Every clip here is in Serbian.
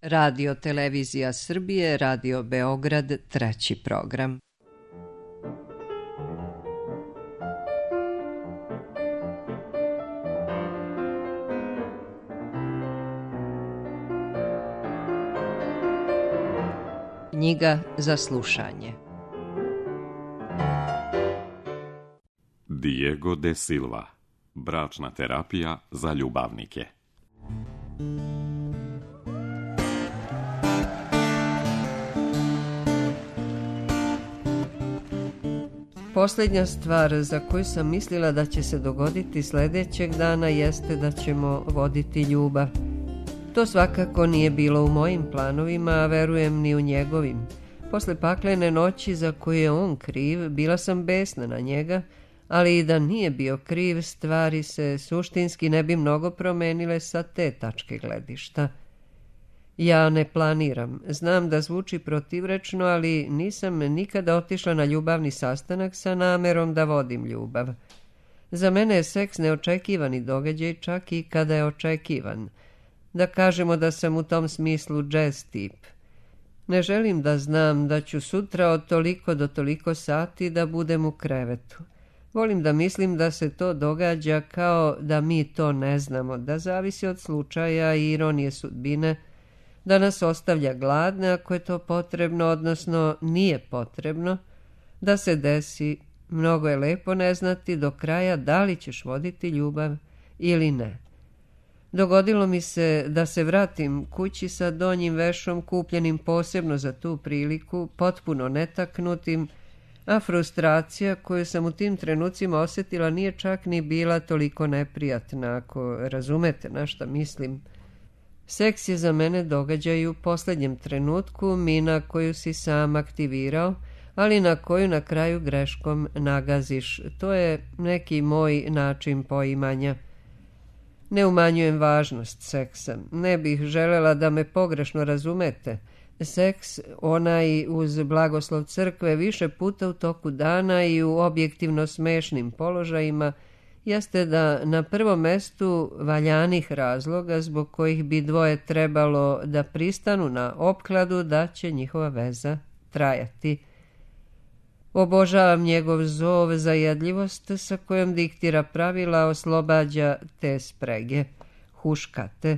Radio Televizija Srbije, Radio Beograd, treći program. Knjiga za slušanje. Diego de Silva. Bračna terapija za ljubavnike. Posljednja stvar za koju sam mislila da će se dogoditi sljedećeg dana jeste da ćemo voditi ljubav. To svakako nije bilo u mojim planovima, a verujem ni u njegovim. Posle paklene noći za koju je on kriv, bila sam besna na njega, ali i da nije bio kriv, stvari se suštinski ne bi mnogo promenile sa te tačke gledišta. Ja ne planiram. Znam da zvuči protivrečno, ali nisam nikada otišla na ljubavni sastanak sa namerom da vodim ljubav. Za mene je seks neočekivani događaj, čak i kada je očekivan. Da kažemo da sam u tom smislu jazz tip. Ne želim da znam da ću sutra od toliko do toliko sati da budem u krevetu. Volim da mislim da se to događa kao da mi to ne znamo, da zavisi od slučaja i ironije sudbine, da nas ostavlja gladne ako je to potrebno, odnosno nije potrebno, da se desi. Mnogo je lepo ne znati do kraja da li ćeš voditi ljubav ili ne. Dogodilo mi se da se vratim kući sa donjim vešom kupljenim posebno za tu priliku, potpuno netaknutim, a frustracija koju sam u tim trenucima osjetila nije čak ni bila toliko neprijatna, ako razumete na šta mislim. Seks je za mene događaj u posljednjem trenutku, mina koju si sam aktivirao, ali na koju na kraju greškom nagaziš. To je neki moj način poimanja. Ne umanjujem važnost seksa. Ne bih želela da me pogrešno razumete. Seks, onaj uz blagoslov crkve, više puta u toku dana i u objektivno smešnim položajima, jeste da na prvom mestu valjanih razloga zbog kojih bi dvoje trebalo da pristanu na opkladu da će njihova veza trajati. Obožavam njegov zov, zajedljivost sa kojom diktira pravila, oslobađa te sprege, huškate,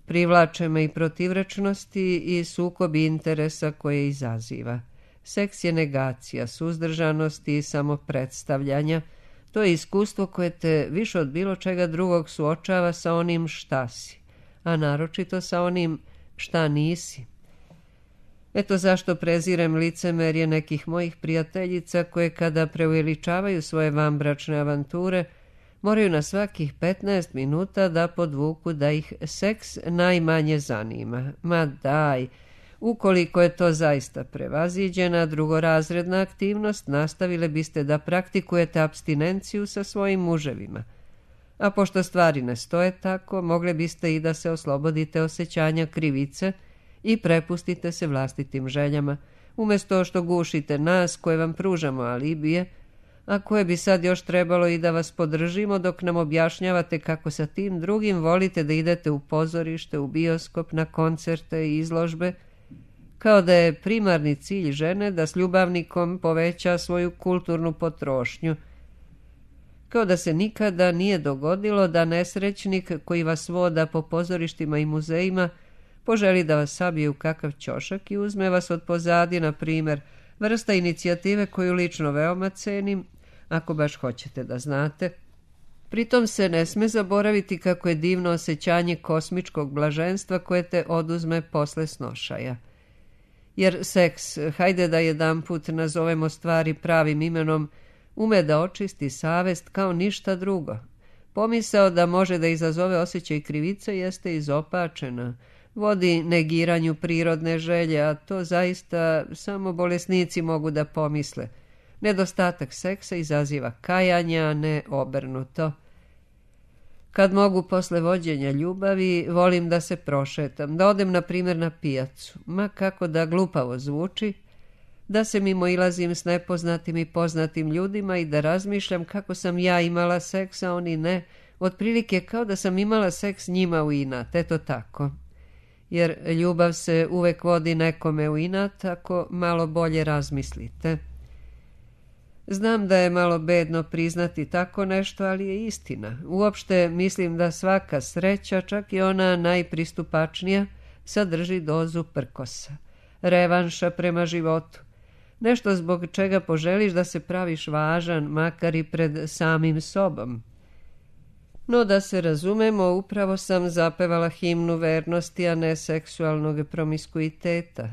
privlače me i protivrečnosti i sukobi interesa koje izaziva. Seks je negacija, suzdržanosti i samopredstavljanja. To je iskustvo koje te više od bilo čega drugog suočava sa onim šta si, a naročito sa onim šta nisi. Eto zašto prezirem licemerje nekih mojih prijateljica koje kada preuveličavaju svoje vanbračne avanture moraju na svakih 15 minuta da podvuku da ih seks najmanje zanima. Ma daj, ukoliko je to zaista prevaziđena drugorazredna aktivnost, nastavile biste da praktikujete apstinenciju sa svojim muževima. A pošto stvari ne stoje tako, mogle biste i da se oslobodite osjećanja krivice i prepustite se vlastitim željama, umjesto što gušite nas koje vam pružamo alibije, a koje bi sad još trebalo i da vas podržimo dok nam objašnjavate kako sa tim drugim volite da idete u pozorište, u bioskop, na koncerte i izložbe, kao da je primarni cilj žene da s ljubavnikom poveća svoju kulturnu potrošnju. Kao da se nikada nije dogodilo da nesrećnik koji vas voda po pozorištima i muzejima poželi da vas sabije u kakav ćošak i uzme vas od pozadi, na primjer, vrsta inicijative koju lično veoma cenim, ako baš hoćete da znate. Pritom se ne sme zaboraviti kako je divno osjećanje kosmičkog blaženstva koje te oduzme posle snošaja. Jer seks, hajde da jedanput nazovemo stvari pravim imenom, ume da očisti savest kao ništa drugo. Pomisao da može da izazove osjećaj krivice jeste izopačena, vodi negiranju prirodne želje, a to zaista samo bolesnici mogu da pomisle. Nedostatak seksa izaziva kajanje, a ne obrnuto. Kad mogu posle vođenja ljubavi, volim da se prošetam, da odem na primjer na pijacu, ma kako da glupavo zvuči, da se mimoilazim s nepoznatim i poznatim ljudima i da razmišljam kako sam ja imala seks, a oni ne, otprilike kao da sam imala seks njima u inat, eto tako. jer ljubav se uvek vodi nekome u inat ako malo bolje razmislite. Znam da je malo bedno priznati tako nešto, ali je istina. Uopšte mislim da svaka sreća, čak i ona najpristupačnija, sadrži dozu prkosa, revanša prema životu. Nešto zbog čega poželiš da se praviš važan, makar i pred samim sobom. No da se razumemo, upravo sam zapevala himnu vernosti, a ne seksualnog promiskuiteta.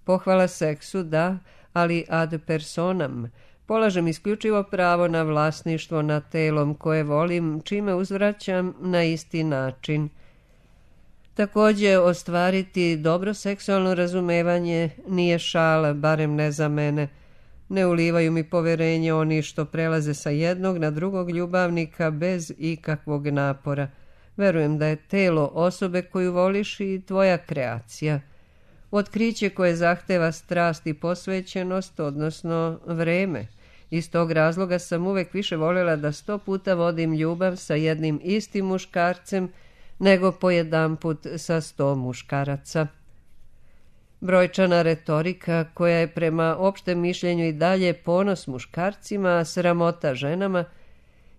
Pohvala seksu, da, ali ad personam. Polažem isključivo pravo na vlasništvo nad telom koje volim, čime uzvraćam na isti način. Također, ostvariti dobro seksualno razumevanje nije šala, barem ne za mene. Ne ulivaju mi poverenje oni što prelaze sa jednog na drugog ljubavnika bez ikakvog napora. Verujem da je telo osobe koju voliš i tvoja kreacija. Otkriće koje zahteva strast i posvećenost, odnosno vreme. Iz tog razloga sam uvek više voljela da 100 puta vodim ljubav sa jednim istim muškarcem, nego po jedanput sa 100 muškaraca. Brojčana retorika, koja je prema opštem mišljenju i dalje ponos muškarcima, a sramota ženama,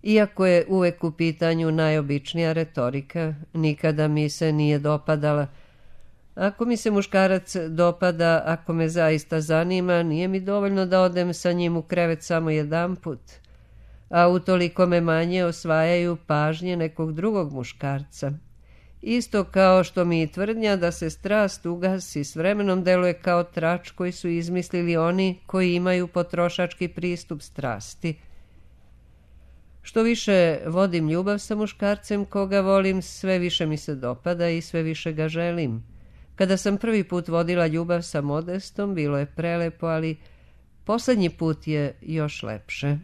iako je uvek u pitanju najobičnija retorika, nikada mi se nije dopadala. Ako mi se muškarac dopada, ako me zaista zanima, nije mi dovoljno da odem sa njim u krevet samo jedanput, a utoliko me manje osvajaju pažnje nekog drugog muškarca. Isto kao što mi i tvrdnja da se strast ugasi s vremenom deluje kao trač koji su izmislili oni koji imaju potrošački pristup strasti. Što više vodim ljubav sa muškarcem koga volim, sve više mi se dopada i sve više ga želim. Kada sam prvi put vodila ljubav sa Modestom, bilo je prelepo, ali poslednji put je još lepše.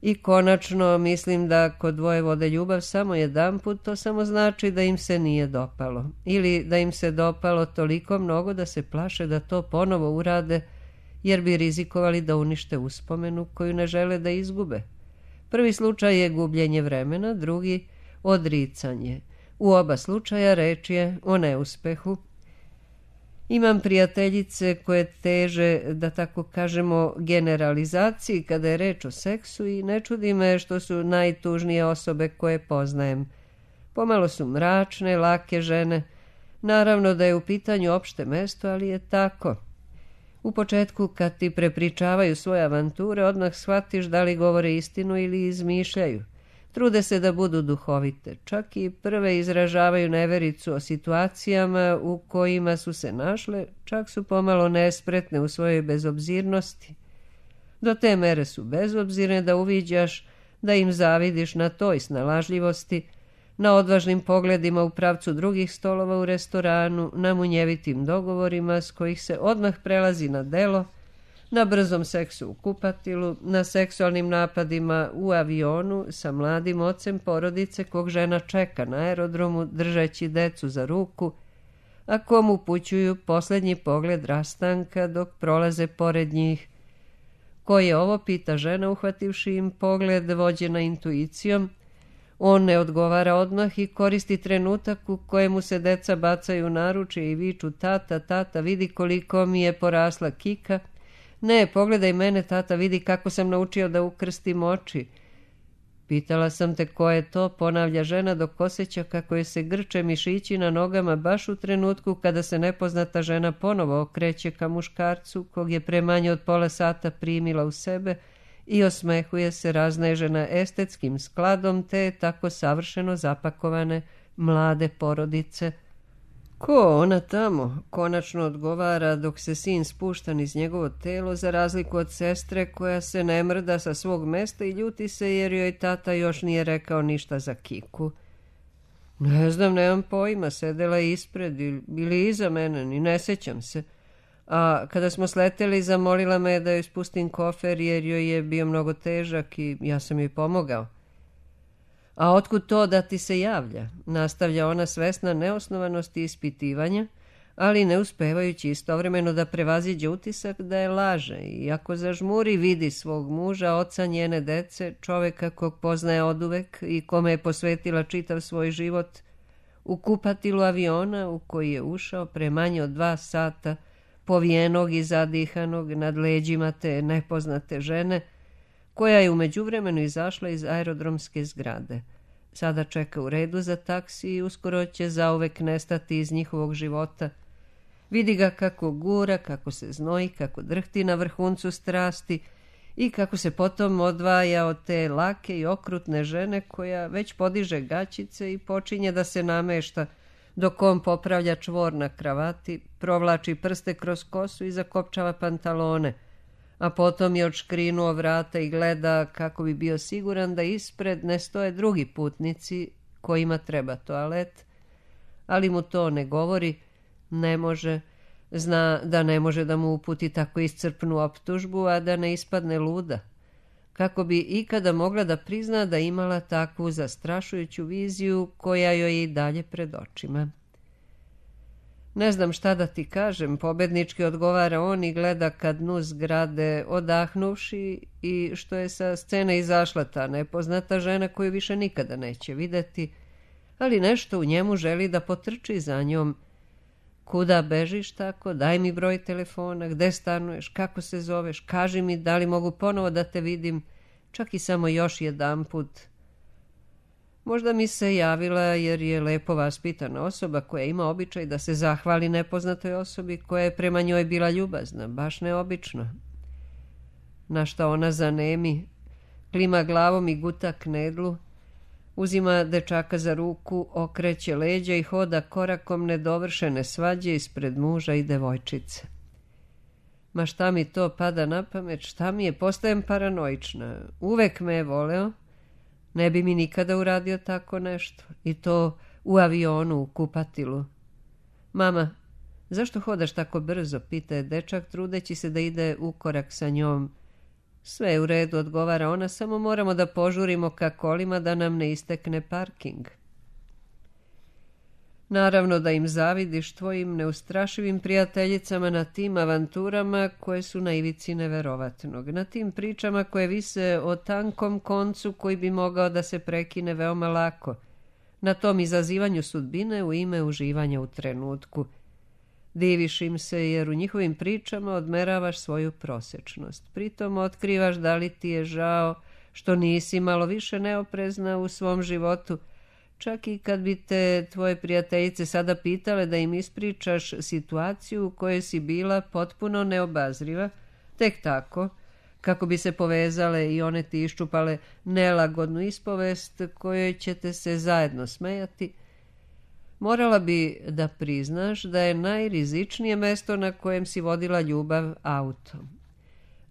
I konačno, mislim da ako dvoje vode ljubav samo jedanput, to samo znači da im se nije dopalo. Ili da im se dopalo toliko mnogo da se plaše da to ponovo urade, jer bi rizikovali da unište uspomenu koju ne žele da izgube. Prvi slučaj je gubljenje vremena, drugi odricanje. U oba slučaja reč je o neuspehu. Imam prijateljice koje teže, da tako kažemo, generalizaciji kada je reč o seksu i ne čudi me što su najtužnije osobe koje poznajem. Pomalo su mračne, lake žene. Naravno da je u pitanju opšte mesto, ali je tako. U početku kad ti prepričavaju svoje avanture, odmah shvatiš da li govore istinu ili izmišljaju. Trude se da budu duhovite, čak i prve izražavaju nevericu o situacijama u kojima su se našle, čak su pomalo nespretne u svojoj bezobzirnosti. Do te mere su bezobzirne da uviđaš da im zavidiš na toj snalažljivosti, na odvažnim pogledima u pravcu drugih stolova u restoranu, na munjevitim dogovorima s kojih se odmah prelazi na delo, na brzom seksu u kupatilu, na seksualnim napadima u avionu sa mladim ocem porodice kog žena čeka na aerodromu držeći decu za ruku, a kom upućuju posljednji pogled rastanka dok prolaze pored njih. Ko je ovo, pita žena uhvativši im pogled vođena intuicijom. On ne odgovara odmah i koristi trenutak u kojemu se deca bacaju u naručje i viču tata, tata, vidi koliko mi je porasla kika. Ne, pogledaj mene, tata, vidi kako sam naučio da ukrstim oči. Pitala sam te ko je to, ponavlja žena dok osjeća kako je se grče mišići na nogama baš u trenutku kada se nepoznata žena ponovo okreće ka muškarcu kog je pre manje od pola sata primila u sebe i osmehuje se raznežena estetskim skladom te tako savršeno zapakovane mlade porodice. Ko ona tamo? Konačno odgovara dok se sin spušta niz njegovo telo za razliku od sestre koja se ne mrda sa svog mesta i ljuti se jer joj tata još nije rekao ništa za kiku. Ne znam, nemam pojma, sedela je ispred ili iza mene, ni ne sećam se. A kada smo sleteli, zamolila me da joj spustim kofer jer joj je bio mnogo težak i ja sam joj pomogao. A otkud to da ti se javlja? Nastavlja ona svesna neosnovanosti ispitivanja, ali ne uspevajući istovremeno da prevaziđe utisak da je laže i ako zažmuri vidi svog muža, oca njene dece, čoveka kog poznaje oduvek i kome je posvetila čitav svoj život, u kupatilu aviona u koji je ušao pre manje od 2 sata, povijenog i zadihanog nad leđima te nepoznate žene, koja je u međuvremenu izašla iz aerodromske zgrade. Sada čeka u redu za taksi i uskoro će zauvek nestati iz njihovog života. Vidi ga kako gura, kako se znoji, kako drhti na vrhuncu strasti i kako se potom odvaja od te lake i okrutne žene koja već podiže gaćice i počinje da se namešta, dok on popravlja čvor na kravati, provlači prste kroz kosu i zakopčava pantalone, a potom je odškrinuo vrata i gleda kako bi bio siguran da ispred ne stoje drugi putnici kojima treba toalet, ali mu to ne govori, ne može, zna da ne može da mu uputi tako iscrpnu optužbu, a da ne ispadne luda, kako bi ikada mogla da prizna da imala takvu zastrašujuću viziju koja joj je i dalje pred očima. Ne znam šta da ti kažem, pobednički odgovara on i gleda ka dnu zgrade, odahnuvši, i što je sa scene izašla ta nepoznata žena koju više nikada neće videti, ali nešto u njemu želi da potrči za njom. Kuda bežiš tako? Daj mi broj telefona, gde stanuješ, kako se zoveš, kaži mi da li mogu ponovo da te vidim, čak i samo još jedanput. Možda mi se javila jer je lepo vaspitana osoba koja ima običaj da se zahvali nepoznatoj osobi koja je prema njoj bila ljubazna, baš neobično. Na šta ona zanemi, klima glavom i guta knedlu, uzima dečaka za ruku, okreće leđa i hoda korakom nedovršene svađe ispred muža i devojčice. Ma šta mi to pada na pamet, šta mi je, postajem paranoična. Uvek me je voleo, ne bi mi nikada uradio tako nešto, i to u avionu, u kupatilu. Mama, zašto hodaš tako brzo, pita je dečak, trudeći se da ide u korak sa njom. Sve je u redu, odgovara ona, samo moramo da požurimo ka kolima da nam ne istekne parking. Naravno da im zavidiš, tvojim neustrašivim prijateljicama, na tim avanturama koje su na ivici neverovatnog, na tim pričama koje vise o tankom koncu koji bi mogao da se prekine veoma lako, na tom izazivanju sudbine u ime uživanja u trenutku. Diviš im se jer u njihovim pričama odmeravaš svoju prosečnost. Pritom otkrivaš da li ti je žao što nisi malo više neoprezna u svom životu, čak i kad bi te tvoje prijateljice sada pitale da im ispričaš situaciju u kojoj si bila potpuno neobazriva, tek tako, kako bi se povezale i one ti iščupale nelagodnu ispovest kojoj ćete se zajedno smejati, morala bi da priznaš da je najrizičnije mesto na kojem si vodila ljubav auto.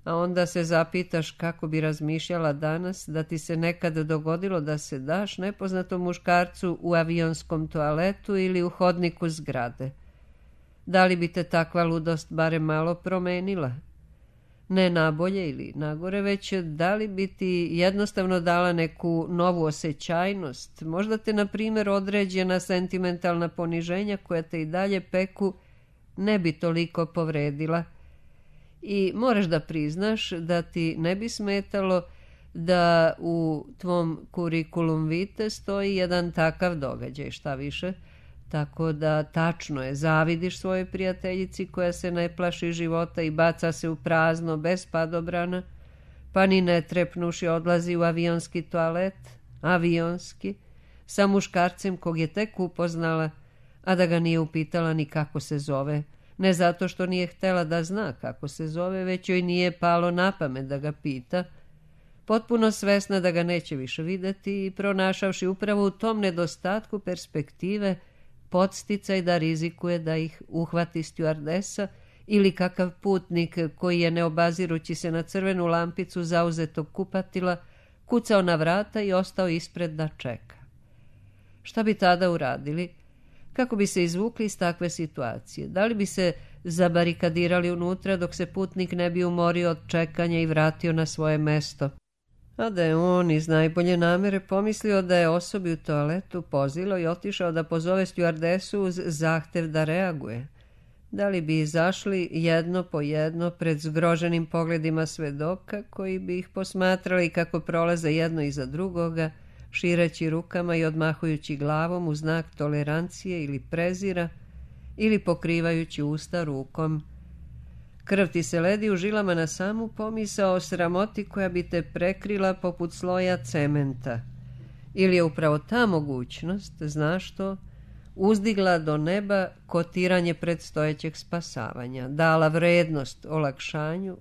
A onda se zapitaš kako bi razmišljala danas da ti se nekad dogodilo da se daš nepoznatom muškarcu u avionskom toaletu ili u hodniku zgrade. Da li bi te takva ludost barem malo promenila? Ne nabolje ili nagore, već da li bi ti jednostavno dala neku novu osjećajnost, možda te, na primjer, određena sentimentalna poniženja koja te i dalje peku ne bi toliko povredila. I moraš da priznaš da ti ne bi smetalo da u tvom kurikulum vitae stoji jedan takav događaj, šta više, tako da tačno je, zavidiš svojoj prijateljici koja se ne plaši života i baca se u prazno bez padobrana, pa ni ne trepnuši odlazi u avionski toalet, avionski, sa muškarcem kog je tek upoznala, a da ga nije upitala ni kako se zove, ne zato što nije htela da zna kako se zove, već joj nije palo na pamet da ga pita, potpuno svesna da ga neće više videti i pronašavši upravo u tom nedostatku perspektive podsticaj da rizikuje da ih uhvati stjuardesa ili kakav putnik koji je, neobazirući se na crvenu lampicu zauzetog kupatila, kucao na vrata i ostao ispred da čeka. Šta bi tada uradili? Kako bi se izvukli iz takve situacije? Da li bi se zabarikadirali unutra dok se putnik ne bi umorio od čekanja i vratio na svoje mesto? A da je on iz najbolje namere pomislio da je osobi u toaletu pozilo i otišao da pozove stjuardesu uz zahtev da reaguje? Da li bi izašli jedno po jedno pred zgroženim pogledima svedoka koji bi ih posmatrali kako prolaze jedno iza drugoga, šireći rukama i odmahujući glavom u znak tolerancije ili prezira, ili pokrivajući usta rukom. Krv ti se ledi u žilama na samu pomisao o sramoti koja bi te prekrila poput sloja cementa. Ili je upravo ta mogućnost, znaš to, uzdigla do neba kotiranje predstojećeg spasavanja, dala vrednost olakšanju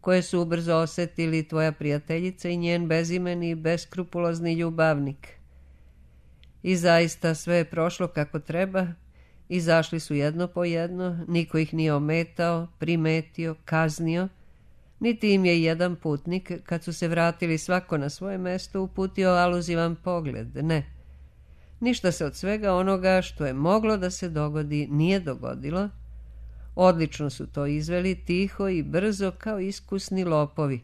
koje su ubrzo osjetili tvoja prijateljica i njen bezimeni i beskrupulozni ljubavnik. I zaista sve je prošlo kako treba, izašli su jedno po jedno, niko ih nije ometao, primetio, kaznio, niti im je jedan putnik, kad su se vratili svako na svoje mesto, uputio aluzivan pogled, ne. Ništa se od svega onoga što je moglo da se dogodi nije dogodilo. Odlično su to izveli, tiho i brzo kao iskusni lopovi.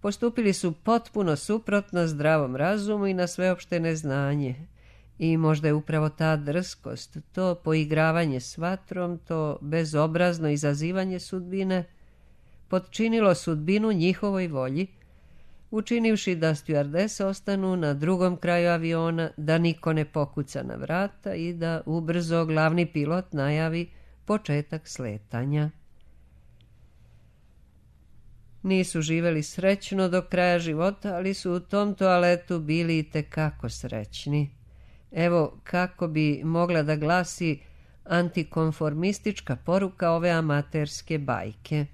Postupili su potpuno suprotno zdravom razumu i na sveopšte neznanje. I možda je upravo ta drskost, to poigravanje s vatrom, to bezobrazno izazivanje sudbine, potčinilo sudbinu njihovoj volji, učinivši da stjuardese ostanu na drugom kraju aviona, da niko ne pokuca na vrata i da ubrzo glavni pilot najavi početak sletanja. Nisu živeli srećno do kraja života, ali su u tom toaletu bili itekako srećni. Evo kako bi mogla da glasi antikonformistička poruka ove amaterske bajke.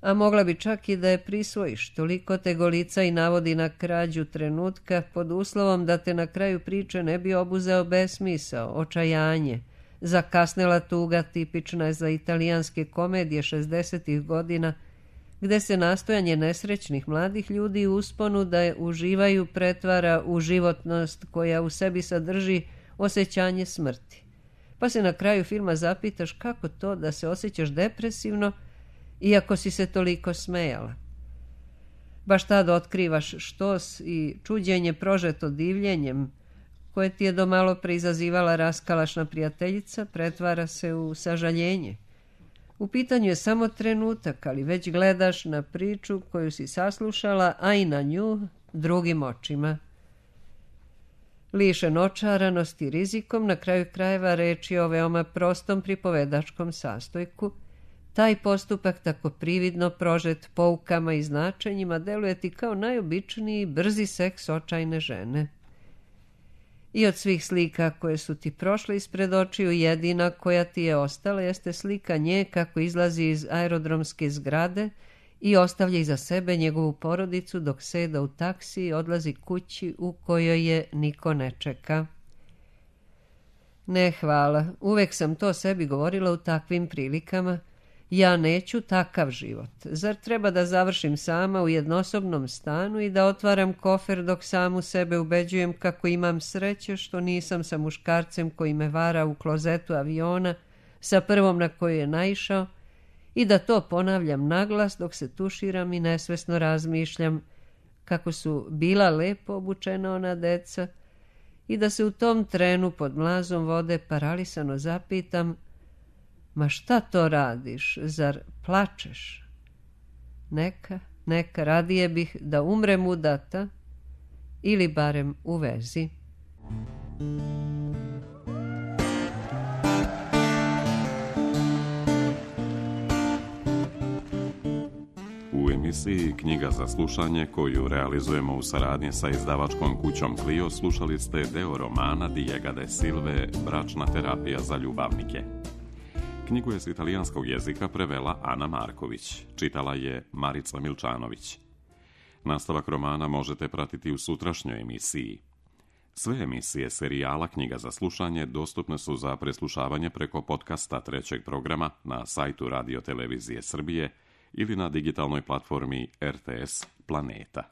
A mogla bi čak i da je prisvojiš, toliko te golica i navodi na krađu trenutka pod uslovom da te na kraju priče ne bi obuzeo besmisao, očajanje, zakasnela tuga tipična je za italijanske komedije 60. godina, gde se nastojanje nesrećnih mladih ljudi u usponu da je uživaju pretvara u životnost koja u sebi sadrži osjećanje smrti. Pa se na kraju filma zapitaš kako to da se osjećaš depresivno iako si se toliko smejala. Baš tad otkrivaš štos i čuđenje prožeto divljenjem koje ti je do malo pre izazivala raskalašna prijateljica, pretvara se u sažaljenje. U pitanju je samo trenutak, ali već gledaš na priču koju si saslušala, a i na nju drugim očima. Lišen očaranosti i rizikom, na kraju krajeva reč je o veoma prostom pripovedačkom sastojku. Taj postupak, tako prividno prožet poukama i značenjima, deluje ti kao najobičniji brzi seks očajne žene. I od svih slika koje su ti prošle ispred očiju, jedina koja ti je ostala jeste slika nje kako izlazi iz aerodromske zgrade i ostavlja iza sebe njegovu porodicu dok seda u taksi i odlazi kući u kojoj je niko ne čeka. Ne, hvala, uvek sam to sebi govorila u takvim prilikama. Ja neću takav život. Zar treba da završim sama u jednosobnom stanu i da otvaram kofer dok samu sebe ubeđujem kako imam sreće što nisam sa muškarcem koji me vara u klozetu aviona, sa prvom na koju je naišao, i da to ponavljam naglas dok se tuširam i nesvesno razmišljam kako su bila lepo obučena ona deca i da se u tom trenu pod mlazom vode paralisano zapitam: ma šta to radiš, zar plačeš? Neka, radije bih da umrem udata ili barem u vezi. U emisiji Knjiga za slušanje, koju realizujemo u saradnji sa izdavačkom kućom Clio, slušali ste deo romana Diega de Silve Bračna terapija za ljubavnike. Knjigu je s italijanskog jezika prevela Ana Marković, čitala je Marica Milčanović. Nastavak romana možete pratiti u sutrašnjoj emisiji. Sve emisije serijala Knjiga za slušanje dostupne su za preslušavanje preko podcasta trećeg programa na sajtu Radio Televizije Srbije ili na digitalnoj platformi RTS Planeta.